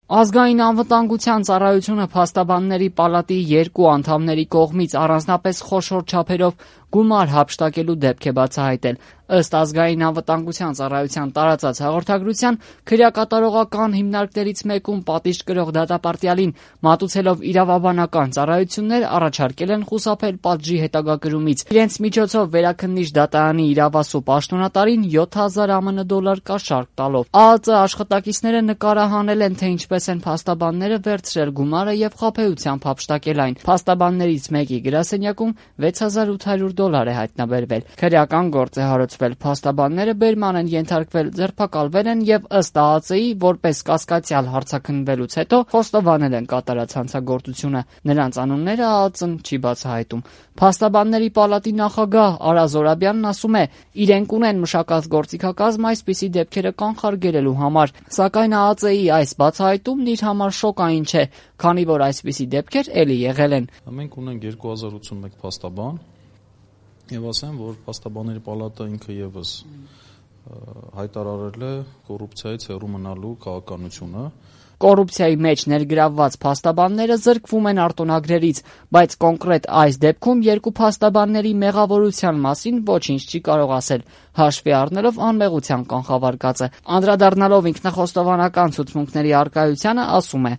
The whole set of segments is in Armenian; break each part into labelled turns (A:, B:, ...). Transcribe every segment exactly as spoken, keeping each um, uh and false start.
A: Ազգային անվտանգության ծառայությունը փաստաբանների պալատի երկու անդամների կողմից առանձնապես խոշոր չափերով գումար հափշտակելու դեպք է բացահայտել։ Ըստ Ազգային անվտանգության ծառայության տարածած հաղորդագրության, քրեակատարողական հիմնարկներից մեկում պատիժ կրող դատապարտյալին մատուցելով իրավաբանական ծառայություններ առաջարկել են խուսափել պատժի հետագա կրումից։ Իրենց միջոցով վերաքննիչ դատարանի իրավասու պաշտոնատարին յոթ հազար ԱՄՆ դոլար կաշառք տալով։ ԱԱԾ աշխատակիցները նկարահանել են, թե ինչպես են փաստաբանները վերցրել գումարը եւ խաբեությամբ հափշտակել այն։ Փաստաբաններից մեկի գրասենյակում վեց հազար ութ հարյուր դոլար է հայտնաբերվել։ Քրեական գործ է հարուցվել։ Փաստաբանները բերման են ենթարկվել, ձերբակալվել են եւ ըստ ԱԱԾ-ի որպես կասկածյալ հարցաքննվելուց հետո խոստովանել են կատարած հանցագործությունը։ Նրանց անունները ԱԱԾ-ն չի բացահայտում։ Փաստաբանների պալատի նախագահ Արա Զորաբյանն ասում է, իրենք ունեն մշակած գործիքակազմ այսպիսի դեպքերը կանխարգելելու համար, սակայն ԱԱԾ-ի այս բացահայտումն իր համար շոկային չէ, քանի որ այսպիսի դեպքեր էլի եղել են։
B: Մենք ունենք երկու հազար ութսունմեկ փաստաբան եւ ասեմ, որ փաստաբանների պալատը ինքը եւս հայտարարել է կոռուպցիայից հեռու մնալու քաղաքականությունը։
A: Կոռուպցիայի մեջ ներգրավված փաստաբանները զրկվում են արտոնագրերից, բայց կոնկրետ այս դեպքում երկու փաստաբանների մեղավորության մասին ոչինչ չի կարող ասել, հաշվի առնելով անմեղության կանխավարկածը։ Անդրադառնալով ինքնախոստովանական ցուցմունքների առկայությանը ասում է.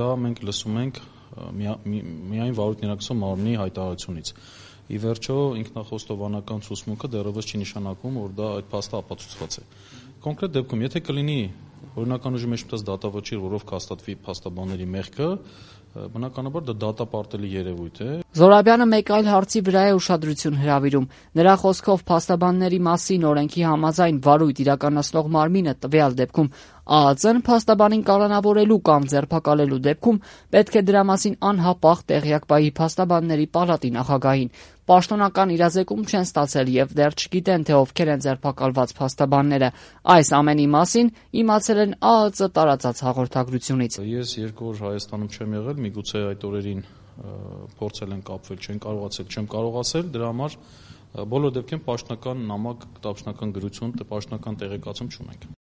B: Դա մենք լսում ենք միայն վարույթ ներկայացող մարմնի հայտարարությունից։ Ի վերջո ինքնախոստովանական ցուցմունքը դեռևս չի նշանակում, որ դա այդ փաստը ապացուցված է։ Կոնկրետ դեպքում, եթե կլինի օրինական ուժի մեջ մտած դատավճիռ, որով կհաստատվի փաստաբանների մեղքը, բնականաբար դա դատապարտելի երևույթ է։
A: Զորաբյանը մեկ այլ հարցի վրա է ուշադրություն հրավիրում։ Նրա խոսքով փաստաբանների մասին օրենքի համաձայն վարույթ իրականացնող մարմինը տվյալ դեպքում ԱԱԾ-ն փաստաբանին կալանավորելու կամ ձերբակալելու դեպքում պետք է դրա մասին անհապաղ տեղյակ պահի փաստաբանների պալատի նախագահին։ Պաշտոնական իրազեկում չեն ստացել եւ դեռ չգիտեն, թե ովքեր են ձերբակալված փաստաբանները։ Այս ամենի մասին իմացել են ԱԱԾ տարածած հաղորդագրությունից։
B: Ես երկու օր Հայաստանում չեմ եղել, միգուցե այդ օրերին փորձել են կապվել, չեն կարողացել, չեմ կարող ասել, դրա համար բոլոր դեպքերում պաշտոնական նամակ, պաշտոնական գրություն, պաշտոնական տեղեկացում չունենք։